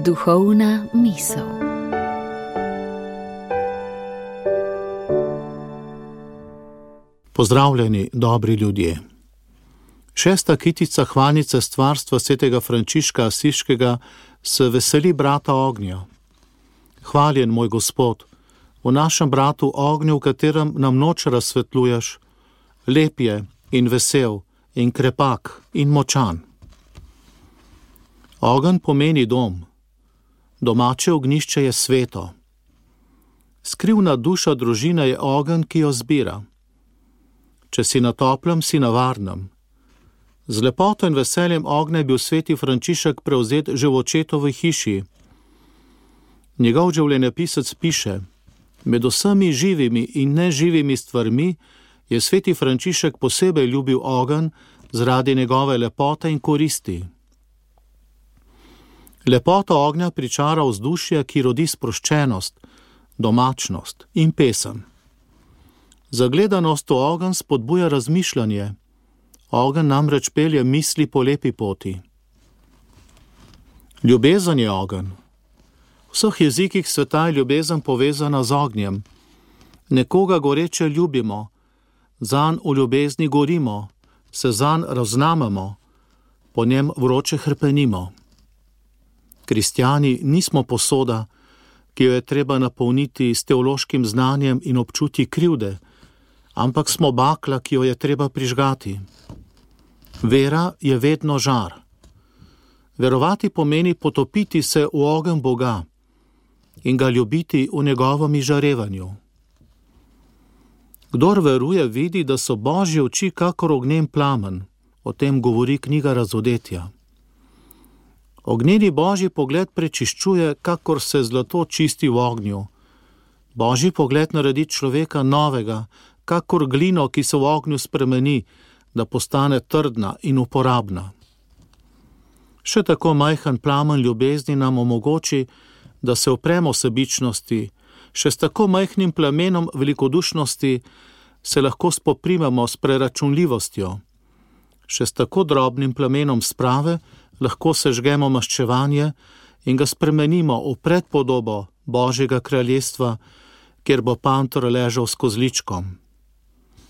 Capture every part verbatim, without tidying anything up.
Duhovna misel. Pozdravljeni, dobri ljudje. Šesta kitica hvalnice stvarstva svetega Frančiška Asiškega se veseli brata ognja. Hvaljen, moj Gospod, v našem bratu ognju, v katerem nam noč razsvetljuješ, lep je in vesel in krepak in močan. Ogenj pomeni dom. Domače ognjišče je sveto. Skrivna duša družine je ogenj, ki jo zbira. Če si na toplem, si na varnem. Z lepoto in veseljem ognja je bil sveti Frančišek prevzet že v očetovi hiši. Njegov življenjepisec piše: med vsemi živimi in neživimi stvarmi je sveti Frančišek posebej ljubil ogenj zaradi njegove lepote in koristi. Lepota ognja pričara vzdušje, ki rodi sproščenost, domačnost in pesem. Zagledanost v ogenj spodbuja razmišljanje. Ogenj namreč pelje misli po lepi poti. Ljubezen je ogenj. V vseh jezikih sveta je ljubezen povezana z ognjem. Nekoga goreče ljubimo, zanj v ljubezni gorimo, se zanj raznamemo, po njem vroče hrpenimo. Kristjani nismo posoda, ki jo je treba napolniti s teološkim znanjem in občutji krivde, ampak smo bakla, ki jo je treba prižgati. Vera je vedno žar. Verovati pomeni potopiti se v ogenj Boga in ga ljubiti v njegovem izžarevanju. Kdor veruje, vidi, da so Božje oči kakor ognjen plamen. O tem govori knjiga Razodetja. Ognjeni Božji pogled prečiščuje, kakor se zlato čisti v ognju. Božji pogled naredi človeka novega, kakor glino, ki se v ognju spremeni, da postane trdna in uporabna. Še tako majhen plamen ljubezni nam omogoči, da se upremo sebičnosti, še s tako majhnim plamenom velikodušnosti se lahko spoprimemo s preračunljivostjo. Še s tako drobnim plamenom sprave lahko sežgemo maščevanje in ga spremenimo v predpodobo Božjega kraljestva, kjer bo panter ležal s kozličkom.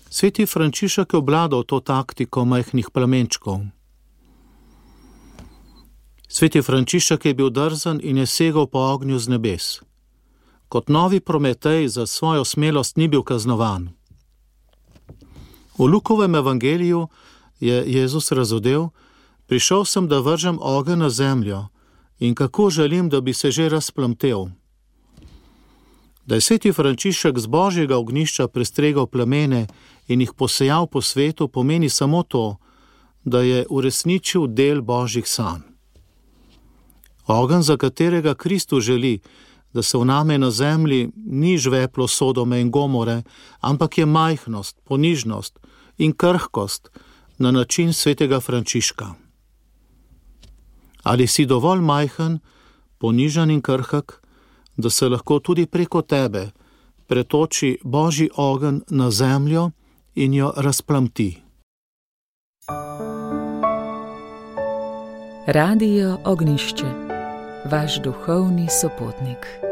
Sveti Frančišek je obladal to taktiko majhnih plamenčkov. Sveti Frančišek je bil drzen in je segal po ognju z nebes. Kot novi Prometej za svojo smelost ni bil kaznovan. V Lukovem evangeliju je Jezus razodel: prišel sem, da vržem ogenj na zemljo, in kako želim, da bi se že razplamtel. Da je sveti Frančišek z Božjega ognjišča prestregal plamene in jih posejal po svetu, pomeni samo to, da je uresničil del Božjih sanj. Ogenj, za katerega Kristus želi, da se vname na zemlji, ni žveplo Sodome in Gomore, ampak je majhnost, ponižnost in krhkost na način svetega Frančiška. Ali si dovolj majhen, ponižan in krhek, da se lahko tudi preko tebe pretoči Božji ogenj na zemljo in jo razplamti? Radio Ognjišče, vaš duhovni sopotnik.